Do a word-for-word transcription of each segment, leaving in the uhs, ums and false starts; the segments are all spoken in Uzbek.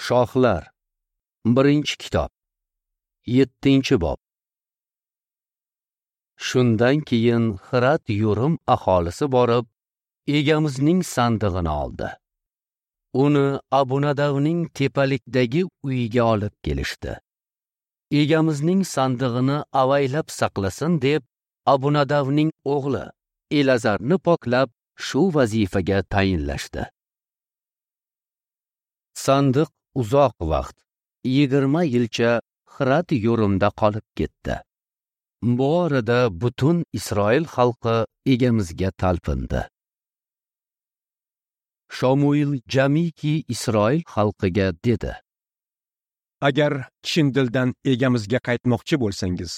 Shohlar, birinchi kitob, yettinchi bob. Shundan keyin Xirat Yurim aholisi borib, Egamizning sandig'ini oldi. Uni Abunadavning tepalikdagi uyiga olib kelishdi. Egamizning sandig'ini avaylab saqlasin deb Abunadavning o'g'li Elazarni poklab shu vazifaga tayinlashdi. Sandiq uzoq vaqt, yigirma yilcha Xirat Yurimda qolib ketdi. Bu orada butun Isroil xalqi Egamizga talpindi. Shomuil jamiki Isroil xalqiga dedi: Agar chin dildan Egamizga qaytmoqchi bo'lsangiz,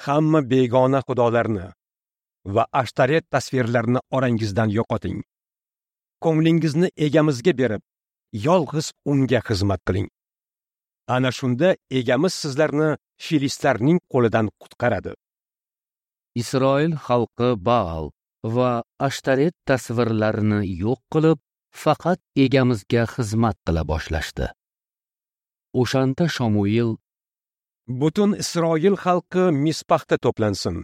hamma begona xudolarni va Ashtaret tasvirlarini orangizdan yo'qoting. Ko'nglingizni Egamizga berib, yolg'iz unga xizmat qiling. Ana shunda Egamiz sizlarni filistlarning qo'lidan qutqaradi. Isroil xalqi Baal va Ashtaret tasvirlarini yo'q qilib, faqat Egamizga xizmat qila boshlashdi. O'shanda Shomuil: Butun Isroil xalqi Mispaxda to'plansin.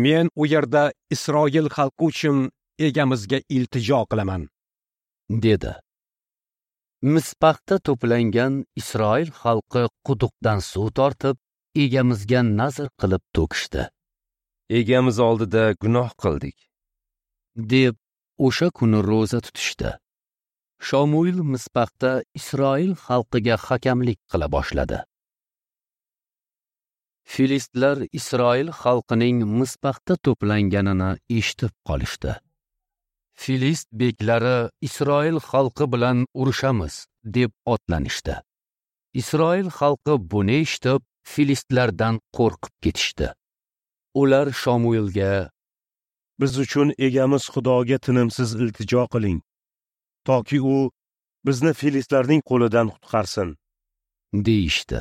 Men u yerda Isroil xalqi uchun Egamizga iltijo qilaman, dedi. Mispaxda to'plangan Isroil xalqi quduqdan suv tortib, Egamizga nazr qilib to'kishdi. Egamiz oldida gunoh qildik, deb o'sha kuni ro'za tutishdi. Shomuil Mispaxda Isroil xalqiga hakamlik qila boshladi. Filistlar Isroil xalqining Mispaxda to'planganini eshitib qolishdi. Filist beklari Isroil xalqi bilan urushamiz deb otlanishdi. Isroil xalqi buni eshitib, filistlardan qo'rqib ketishdi. Ular Shomuilga: Biz uchun Egamiz Xudoga tinimsiz iltijo qiling, toki u bizni filistlarning qo'lidan qutqarsin, deyishdi.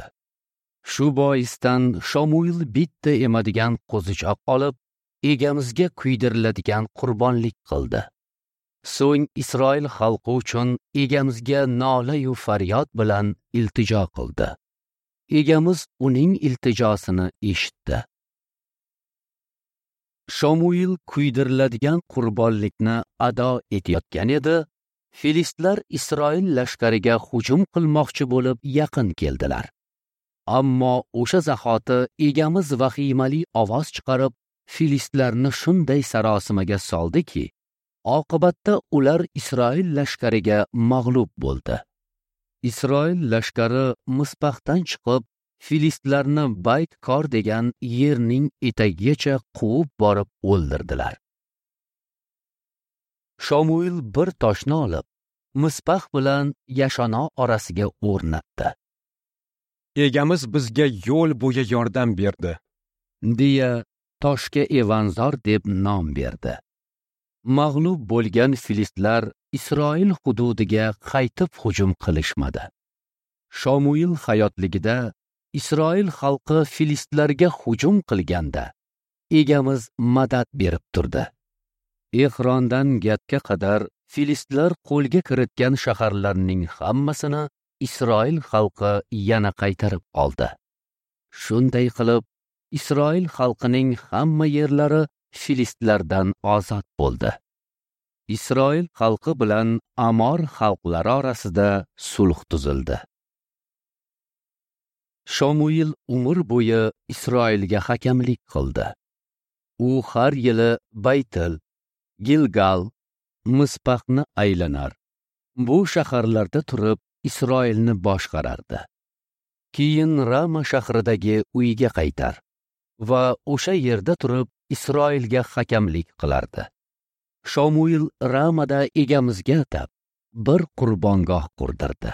Shu boisdan Shomuil bitta emadigan qo'zichoq olib, Egamizga kuydiriladigan qurbonlik qildi. So'ng Isroil xalqi uchun Egamizga nola-yu faryod bilan iltijo qildi. Egamiz uning iltijosini eshitdi. Shomuil kuydiriladigan qurbonlikni ado etayotgan edi, filistlar Isroil lashkariga hujum qilmoqchi bo'lib yaqin keldilar. Ammo o'sha zahoti Egamiz vahimali ovoz chiqarib, filistlarni shunday sarosimaga soldiki, oqibatda ular Isroil lashkariga mag'lub bo'ldi. Isroil lashkari Mispaxdan chiqib, filistlarni Bayt-Kor degan yerning etagigacha quvib borib o'ldirdilar. Shomuil bir toshni olib, Mispax bilan Yashano orasiga o'rnatdi. Egamiz bizga yo'l bo'yi yordam berdi, deya toshga Evanzor deb nom berdi. Mag'lub bo'lgan filistlar Isroil hududiga qaytib hujum qilishmadi. Shomuil hayotligida Isroil xalqi filistlarga hujum qilganda Egamiz madad berib turdi. Ehrondan Gatga qadar filistlar qo'lga kiritgan shaharlarning hammasini Isroil xalqi yana qaytarib oldi. Shunday qilib, Isroil xalqining hamma yerlari filistlardan ozod bo'ldi. Isroil xalqi bilan Amor xalqlari orasida sulh tuzildi. Shomuil umr bo'yi Isroilga hakamlik qildi. U har yili Baytil, Gilgal, Mispaxni aylanar. Bu shaharlarda turib Isroilni boshqarardi. Keyin Rama shahridagi uyiga qaytar va o'sha yerda turib Isroilga hakamlik qilardi. Shomuil Ramada Egamizga atab bir qurbongoh qurdirdi.